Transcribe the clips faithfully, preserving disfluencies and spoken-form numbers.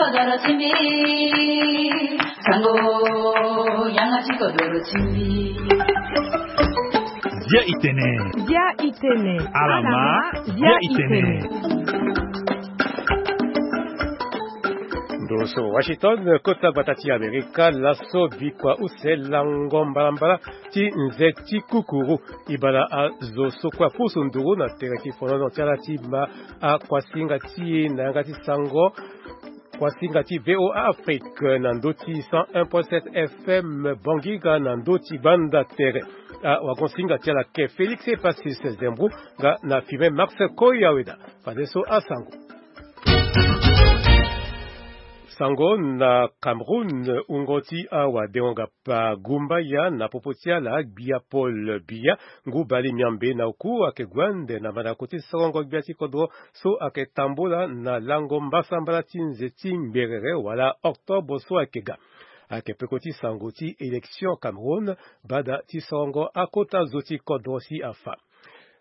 Dia itene. Dia itene. Alama, dia itene. Ndo so Washington, kota gbata ti Amerika, laso bikua use lango mbalambala ti nze ti kukuru. Ibala azo so kue apusu nduru na tere ti fonono ti ala ti ma akuasinga ti e na yanga ti sango. Kuasinga ti V O A Afrique na ndö ti cent un point sept F M Bongiga na ndö ti gbanda tere. Awagonsinga ti ala ke Félix Epasis Zembro nga na filme Max Koyaweda. Fadeso asango. Sango na Cameroun, wungo ti awadengo-gapa Gumbaya na popo ti ala gbia Paul Biya, ngu bale miambe na oku ayeke gue ande na mandako ti sorongo gbia ti kodro so ayeke tambula na lango mbasambala ti nze ti ngberere wala octobre so ayeke ga. Ayeke peko ti sango ti élection Cameroun, bada ti sorongo akota zo ti kodro si afa.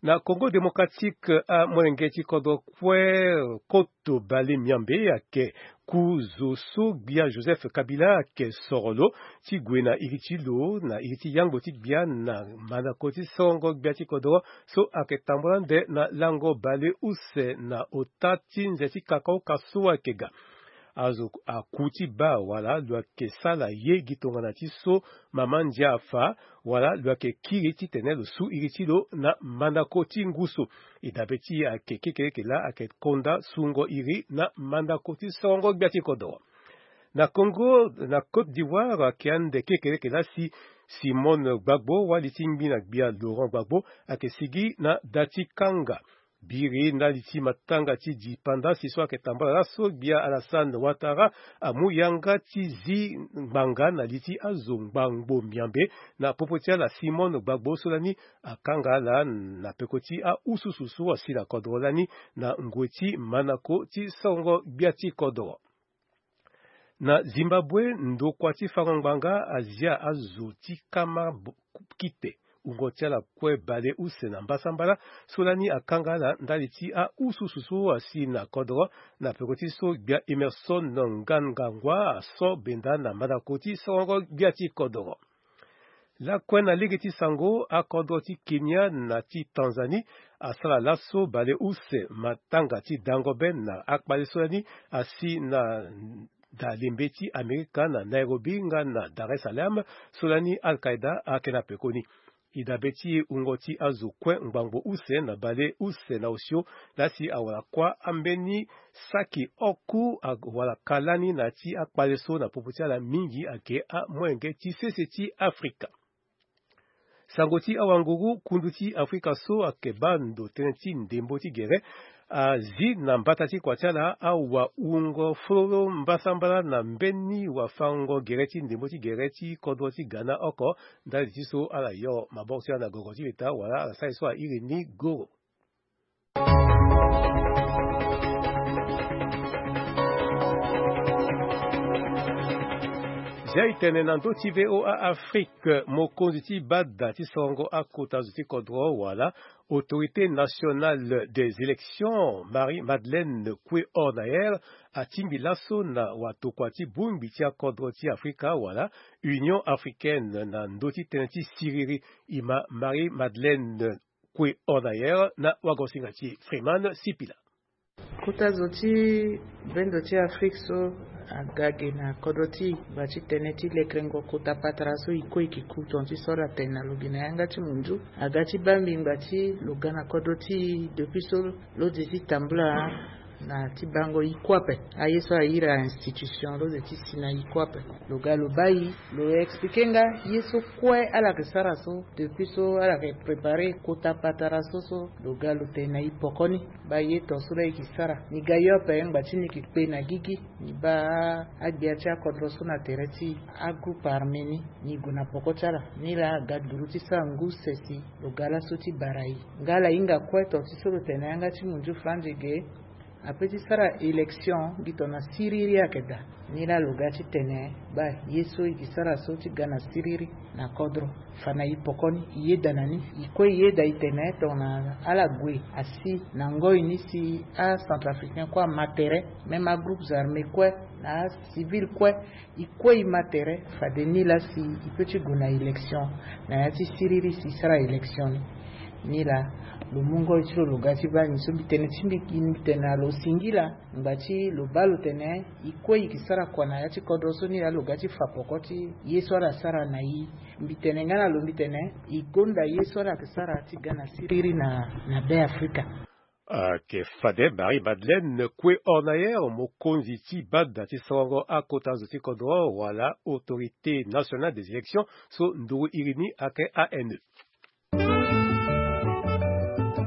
Na Congo Démocratique, amolenge ti kodro kue koto bale miambe ayeke ku zo so gbia Joseph Kabila ayeke soro lo ti gue na iri ti lo na iri ti yangbo ti gbia na mandako ti sorongo gbia ti kodro so ayeke tambula ande na lango bale use na ota ti nze ti kakaoka so ayeke ga. Azo aku ti baa wala lo yeke sala ye gi tongana ti so mama ndia afa, wala lo yeke kiri titene lo su iri ti lo na mandako ti ngu so. E dabe ti e ayeke kekereke laa ayeke konda sungo iri na mandako ti sorongo gbia ti kodro. Na Congo, na Côte d'Ivoire, ayeke ande kekereke laa si Simone Gbagbo, wali ti ngbi na gbia Laurent Gbagbo, ayeke sigi na da ti kanga. Biri ndali ti matanga ti dipanda si so ayeke tambula laso gbia Alassane Ouattara amu yanga ti zi ngbanga na li ti azo ngbangbo miambe na popo ti ala Simone Gbagbo so lani akanga ala na peko ti aususu so asi na kodro lani na ngoi ti manako ti sorongo gbia ti kodro. Na Zimbabwe, ndokua ti fango ngbanga azia azo ti kama bo-, kite wungo ti ala kue bale use na mbasambala so lani akanga ala ndali ti aususu so asi na kodro na peko ti so gbia Emerson Mnangagwa aso benda na mandako ti sorongo gbia ti kodro. Lakue na lege ti sango, akodro ti Kenya na ti Tanzanie asara laso bale use matanga ti dango be na akpale so lani asi na dalembe ti Amerika na Nairobi nga na Dar es Salaam so lani Al-Qaeda ayeke na pekoni. E dabe ti e wungo ti azo kue ngbangbo use na bale use na osio laa si awara kuâ ambeni saki oko awara ka lani na ya ti akpale so na popo ti ala mingi ayeke amolenge ti sese ti Afrika. Sango ti awanguru, kundu ti Afrika so ayeke baa ndo tënë ti ndembo ti gere azi na mbata ti kua ti ala awawungo fololo mbasambala na mbeni wafango gere ti ndembo ti gere ti kodro ti Ghana oko. Ndali ti so ala yo maboko ti ala na gongo ti leta wala ala sara ye so airi ni goro. Zia e tene na ndö ti V O A Afrique, mokonzi ti bada ti sorongo akota zo ti kodro wala Autorité Nationale des Élections, Marie-Madeleine Koué Hornayer, atingbi laso na watokua ti bongbi ti akodro ti Afrika wala Union Africaine na ndö ti tënë ti siriri. E ma Marie-Madeleine Koué Hornayer na wagosinga ti Freeman Sipila. Kota zo ti bendo ti Afrique so aga ge na kodro ti e ngba ti tënë ti lekerengo kota patara so e kue e ke ku tonga ti so ala tene na lo ge na yanga ti munzu. Aga ti baa mbi ngba ti lo ga na kodro ti e depuis so lo ze ti tambula na ti bango e kue ape. Aye so airi a-institution lo ze ti si na e kue ape. Lo ga lo baa e, lo explike nga ye so kue ala yeke sara so depuis so ala yeke prépare kota patara so so lo ga lo tene na e poko ni. Baa ye tonga so laa e ke sara, ni ga yo ape ngba ti ni ke kpe na gigi. Ni baa agbia ti akodro so na tere ti agroupe armé ni, ni gue na poko ti ala. Ni laa aga duru ti sara ngu sese lo ga laso ti bara e. Nga ala hinga kue tonga ti so lo tene na yanga ti munzu franzi ge. Ape ti sara élection gi tongana siriri ayeke daa. Ni laa lo ga ti tene baa ye so e ke sara so ti ga na siriri na kodro. Fa na e poko ni e yeda na ni, e kue e yeda e tene tongana ala gue asi na ngoi ni si acentrafricain kue ama tere, même agroupe armé kue na acivil kue, e kue e ma tere. Fade ni laa si e pe ti gue na élection na ya ti siriri si e sara élection ni. Ni laa lo mu ngoi ti lo lo ga ti baa ni so mbi tene ti mbi, mbi tene na lo singila ngba ti lo baa lo tene e kue e ke sara kua na ya ti kodro so. Ni laa lo ga ti fa poko ti ye so ala sara na e. Mbi tene nga na lo mbi tene e gonda ye so ala ke sara ti ga na siriri na, na Be Afrika. Ayeke fade Marie Madeleine Kue Hornayer, mokonzi ti bada ti sorongo akota zo ti kodro wala Autorité Nationale des Élections, so nduru iri ni ayeke A N E.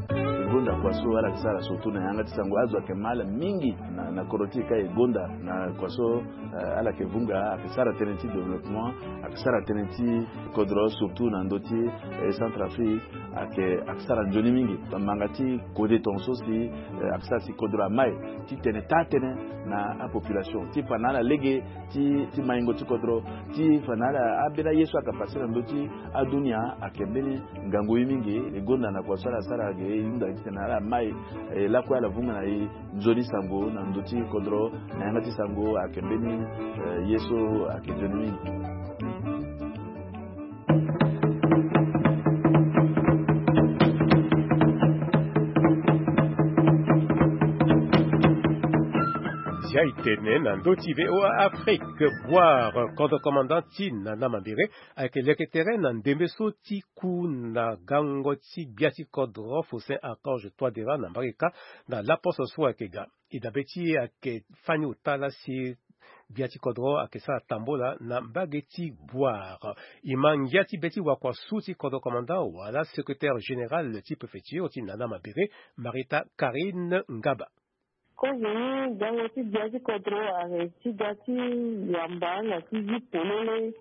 E gonda kua so ala ke sara surtout na yanga ti sango, azo ayeke ma ala mingi na, na kodro ti e ka e gonda na kua so, eh, ala yeke vunga, ayeke sara tënë ti développement, ayeke sara tënë ti kodro surtout na ndö ti, eh, Centrafrique, ayeke, ayeke sara nzoni mingi. Bamanga ti kode tongaso si, eh, ayeke sara si kodro amai ti tene taa tënë na apopulation ti fa na ala lege ti, ti maingo ti kodro, ti fa na ala ambeni aye so ayeke pase na ndö ti adunia. Ayeke mbeni ngangu ye mingi. E gonda na kua so ala sara ayeke e hunda titene ala mai, eh, lakue ala vunga na e nzoni sango na ndö ti kodro na yanga ti sango. Ayeke mbeni, eh, ye so ayeke nzoni mingi. Zia e tene na ndö ti V O A Afrique, Bouar, cordon commandant ti Nana Mambéré, ayeke leke tere na ndembe so ti ku na gango ti gbia ti kodro Faustin Archange Touadéra na mbage kâ na laposo so ayeke ga. E dabe ti e ayeke fani ota laa si gbia ti kodro ayeke sara tambola na mbage ti Bouar. E ma ngia ti be ti wakua su ti cordon commandant wala secrétaire général ti préfecture ti Nana Mambéré, Marita Karine Ngaba. Kozo ni gango ti gbia ti kodro ayeke ti ga ti yamba na ti zi polele.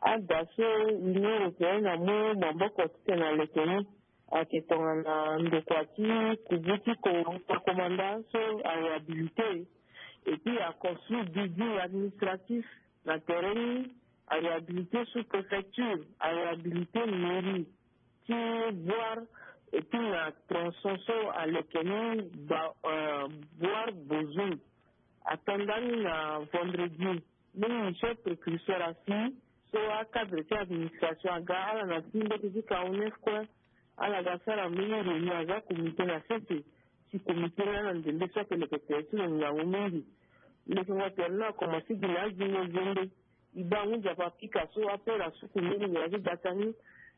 Ada so Union européenne amu maboko titene aleke ni ayeke tongana ndokua ti kubu ti ko-, commandant so aréhabilité. Et puis aconstruire building administratif na tere ni, aréhabilité sous-préfecture, aréhabilité mairie ti Bouar. Et puis na tronçon so aleke ni ba, euh, Bouar Bozoum. Atanda ni na vendredi. Mbeni mission précurseur asi so acadre ti administration aga, ala na ti mbeti ti Kaonef kue. Ala ga sara mbeni réunion, aza comité na sese. Si comité ni ala ndembe so ayeke leke tere ti lo ngangu mingi. Lekengo tere ni akomanse gi na azingo zembe. E baa ngu nzapa pika so apera suku mbeni ngia ti gbata ni.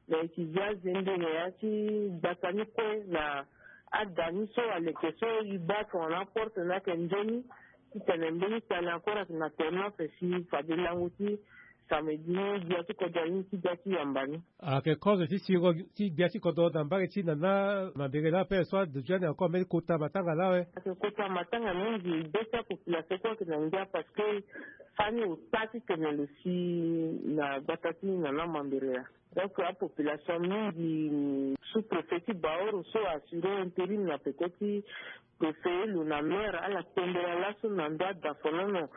Na e yeke zi azembe na ya ti gbata ni kue na ada ni so aleke so e baa tongana aporte ni ayeke nzoni. Titene mbeni tali encore ayeke na tere ni ape si fade lango ti samedi ni gbia ti kodro ni ti ga ti yamba ni. Ayeke kozo ti siro ti gbia ti kodro na mbage ti Nana Mambéré laa ape so aduti ni encore mbeni kota matanga laa awe. Ayeke kota matanga mingi, be ti apopulation kue ayeke na ngia parce que fani ota titene lo si na gbata ti Nana Mambéré laa. Donc apopulation mingi, sous-préfet ti Baoro so assuré intérim na peko ti préfet, lo na maire, ala tembela laso na ndö adafonono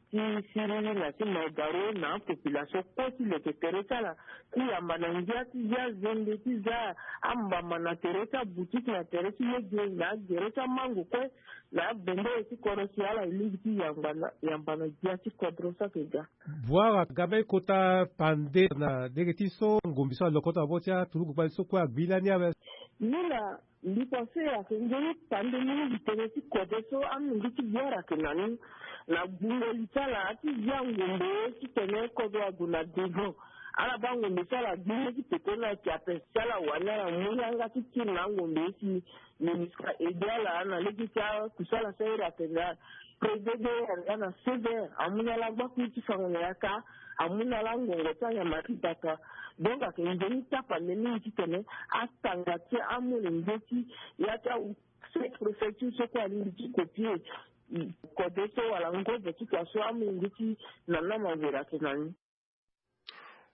ti siriri na ti maidaro na apopulation kue ti leke tere ti ala ti yamba na ngia ti zia zende ti za ambamba na tere ti aboutique, na tere ti lege, na agere ti amango kue, na abendere ti kodro si ala e lingbi ti yamba na, yamba na gbia ti kodro so ayeke ga. Bouar aga mbeni kota pande na lege ti so ngombi so alokoto na bo ti aturugu gbali so kue agbi lani awe. Ni la, mbi pense ayeke nzoni pande mingi tënë ti kode so amenge ti Bouar ayeke na ni. Na gbungo li ti ala ti zia ngombe titene kodro ague na devant. Ala baa ngombe so ala gbi ni ti peko ni ayeke ape si ala wani ala mu yanga ti tiri na angombe si MINUSCA aidé ala na lege ti akusala so ahiri atene. Président de yanga na sévère, amu na ala gbakui ti fango na yaka, amu na ala ngongo ti anyama ti bata. Donc ayeke nzoni tapande mingi titene atanga ti amolenge ti ya ti awu sous-préfecture so kue alingbi ti copier kode so wala ngobo ti kua so amolenge ti Nana Mambéré ayeke na ni.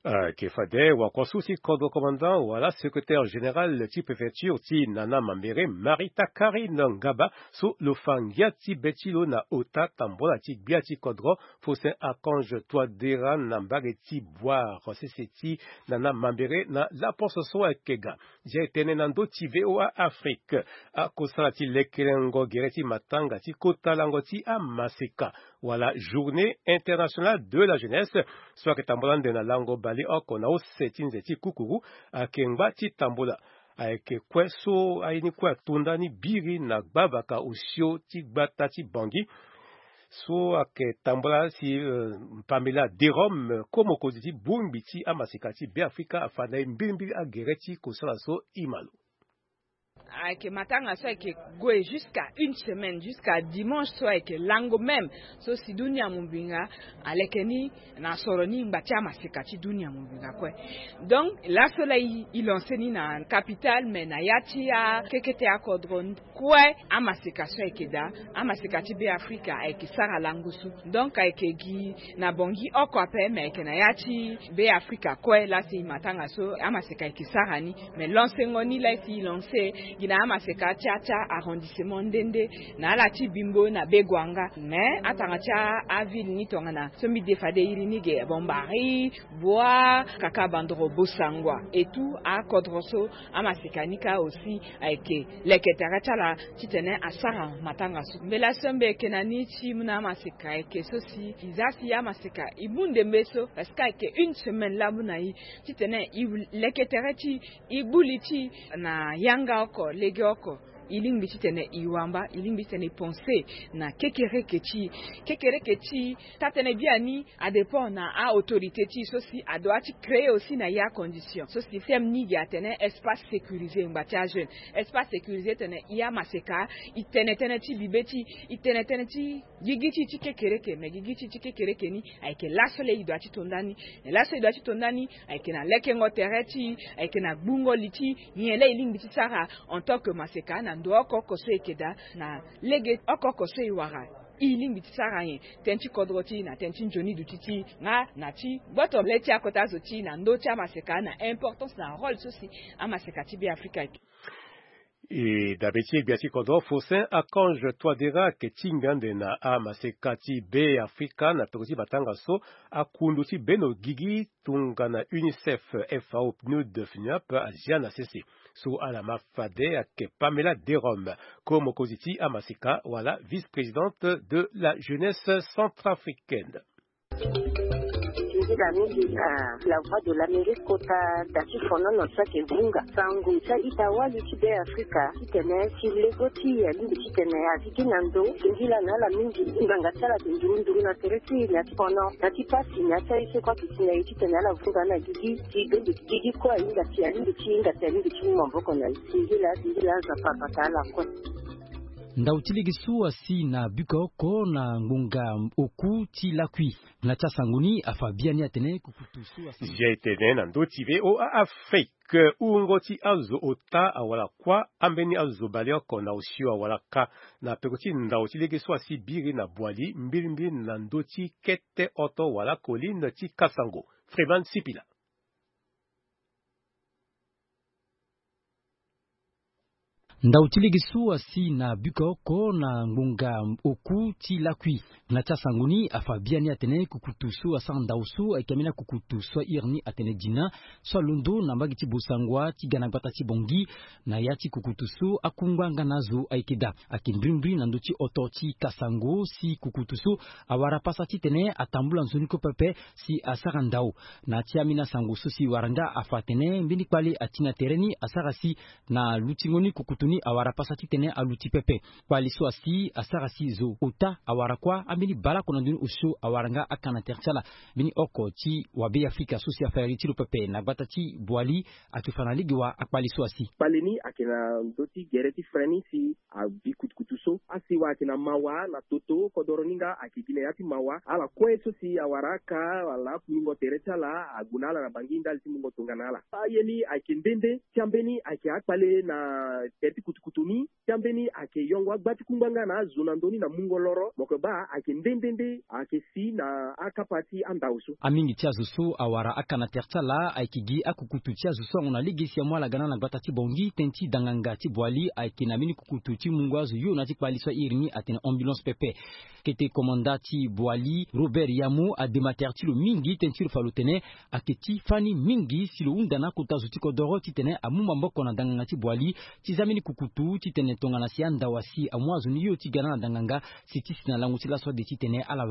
Ayeke fade wakua so ti kodro commandant wala secrétaire général ti préfecture ti Nana Mambéré, Marita Karine Ngaba, so lo fa ngia ti be ti lo na ota tambola ti gbia ti kodro Faustin Archange Touadéra na mbage ti Boire sese ti Nana Mambéré na laposte so ayeke ga. Ndia e tene na ndö ti V O A Afrique, akosala ti lekerengo gere ti matanga ti kota lango ti amaseka wala Journée internationale de la jeunesse, so ayeke tambula ande na lango baleoko na use ti nze ti kukuru, ayeke ngba ti tambula. Ayeke kue so aye ni kue ato ndani biri na gbavaka osio ti gbata ti Bangui, so ayeke tambula si, eh, Pamela Derome, ko mokonzi ti bongbi ti amaseka ti Beafrika, afa na e mbirimbiri agere ti kosala so. E ma lo. Ayeke matanga so ayeke gue jusqu'à une semaine, jusqu'à dimanche so ayeke lango même, so si dunia mobimba aleke ni na soro ni ngba ti amaseka ti dunia mobimba kue. Donc laso laa e, e lance ni na capitale, mais na ya ti akekete akodro kue, amaseka so ayeke daa, amaseka ti Beafrika ayeke sara lango so. Donc ayeke gi na Bangui oko ape, mais ayeke na ya ti Beafrika kue laa si e matanga so amaseka ayeke sara ni. Mais lancengo ni laa si e lance gi na amaseka ti atia arrondissement nde nde, na ala ti Bimbo na Begoanga. Mais atanga ti aville ni tongana so mbi de fade iri ni ge, Bambari, Boire, Kaka Bandoro, Bossangoa et tout, akodro so amaseka ni kâ aussi ayeke leke tere ti ala titene asara matanga so. Mbela so mbi yeke na ni ti mu na amaseka ayeke so si e za si amaseka e mu ndembe so, parce que ayeke une semaine laa mu na e titene e leke tere ti e, e gbu li ti e na yanga oko, legeoko. E lingbi titene e wamba, e lingbi titene e pense na kekereke ti e. Kekereke ti e, taa-tënë biani adépend na a-autorité ti e so si adoit ti créer aussi na e acondition so si thème ni gi atene espace sécurisé ngba ti ajeune. Espace sécurisé tene e amaseka e tene tënë ti bibe ti e, e tene tënë ti gigi ti e ti kekereke. Mais gigi ti e ti kekereke ni ayeke laso laa e doit ti to ndani. Mais laso e doit ti to ndani ayeke na lekengo tere ti e, ayeke na gbungo li ti e. Nyen laa e lingbi ti sara en tant que maseka na ndo oko oko so e yeke daa, na lege oko oko so e wara, e lingbi ti sara nyen? Tënë ti kodro ti e na tënë ti nzoni duti ti e nga na ti gboto le ti akota zo ti e na ndö ti amaseka na importance na rôle so si amaseka ti Beafrika ayeke. E dabe ti e gbia ti kodro Faustin Archange Touadéra ayeke tingbi ande na amaseka ti Beafrika na peko ti matanga so akundu ti beno gigi tongana UNICEF, FAO, PNUD, FNUAP azia na sese. So ala ma fade ayeke Pamela Derome, ko mokonzi ti amaseka wala vice-présidente de la jeunesse centrafricaine. Nzila mingi na La Voix de l'Amérique kota da ti fonono so ayeke vunga sango ti a-ita wali ti Beafrika titene si lego ti e alingbi titene agigi na ndo. Singila na ala mingi ti ngbanga ti ala ayeke nduru nduru na tere ti e na ti fono na ti pasi na ya ti aye so kue ayeke si na e titene ala vunga na gigi ti bembe gigi kue ahinga si alingbi ti hinga si alingbi ti mu maboko na e. Singila, singila, Nzapa abata ala kue. Ndau ti lege so asi na buka oko na ngbonga oku ti lakui. Na ti asango ni afa biani atene kukutu so asi. Ndia e tene na ndö ti V O A Afrique, wungo ti azo ota awara kuâ, ambeni azo baleoko na osio awara kâ na peko ti ndau ti lege so asi biri na Boali, mbirimbiri na ndö ti kete oto wala colline ti Kasango. Freeman Sipila. Ndau ti lege so asi na buka oko na ngbonga oku ti lakui. Na ti asango ni afa biani atene kukutu so asara ndau so ayeke ambeni akukutu so ahiri ni atene Dina, so alondo na mbage ti Bossangoa ti ga na gbata ti Bangui. Na ya ti kukutu so akungba nga na azo ayeke daa. Ayeke mbirimbiri na ndö ti oto ti Kasango si kukutu so awara pasa titene atambula nzoni kue pepe si asara ndau. Na ti ambeni asango so si wara nga afa atene mbeni kpale ati na tere ni asara si na lutingo ni kukutu ni awara pasa titene aluti pepe. Kpale so asi asara si zo ota awara kuâ, ambeni baleoko na ndoni osio awara nga aka na tere ti ala. Mbeni oko ti wabe Afrika so si afa iri ti lo pepe na gbata ti Boali ayeke fa na lege wa akpale so asi. Kpale ni ayeke na ndö ti gere ti frein ni si abi kutukutu so. Asi wa ayeke na mawa na toto kodoro ni nga ayeke gi na ya ti mawa. Ala kue so si awara aka wala akungbingo tere ti ala ague na ala na Bangui ndali ti mungo tongana ala. Aye ni ayeke nde nde ti ambeni ayeke akpale na tere ti kutukutu ni, ti ambeni ayeke yongo agba ti kungba nga na azo na ndö ni na mungo loro mo yeke baa ayeke nde nde nde ayeke si na akapa ti andao so. Amingi ti azo so awara aka na tere ti ala ayeke gi akukutu ti azo so ague na lege si amu ala ga na ala gbata ti bongi tënë ti danganga ti boili ayeke na mbeni kukutu ti mungo azo yo na ti kpali so airi ni atene ambulance pepe. Kete komanda ti boili Robert Yamo adema tere ti lo mingi tënë ti lo fa lo tene ayeke ti fani mingi si lo hunda na akota zo ti kodoro titene amu maboko na danganga ti boili ti za mbeni kukutu titene tongana si andao asi amu azo ni yo ti ga na ala danganga si ti si na lango ti laso ade titene ala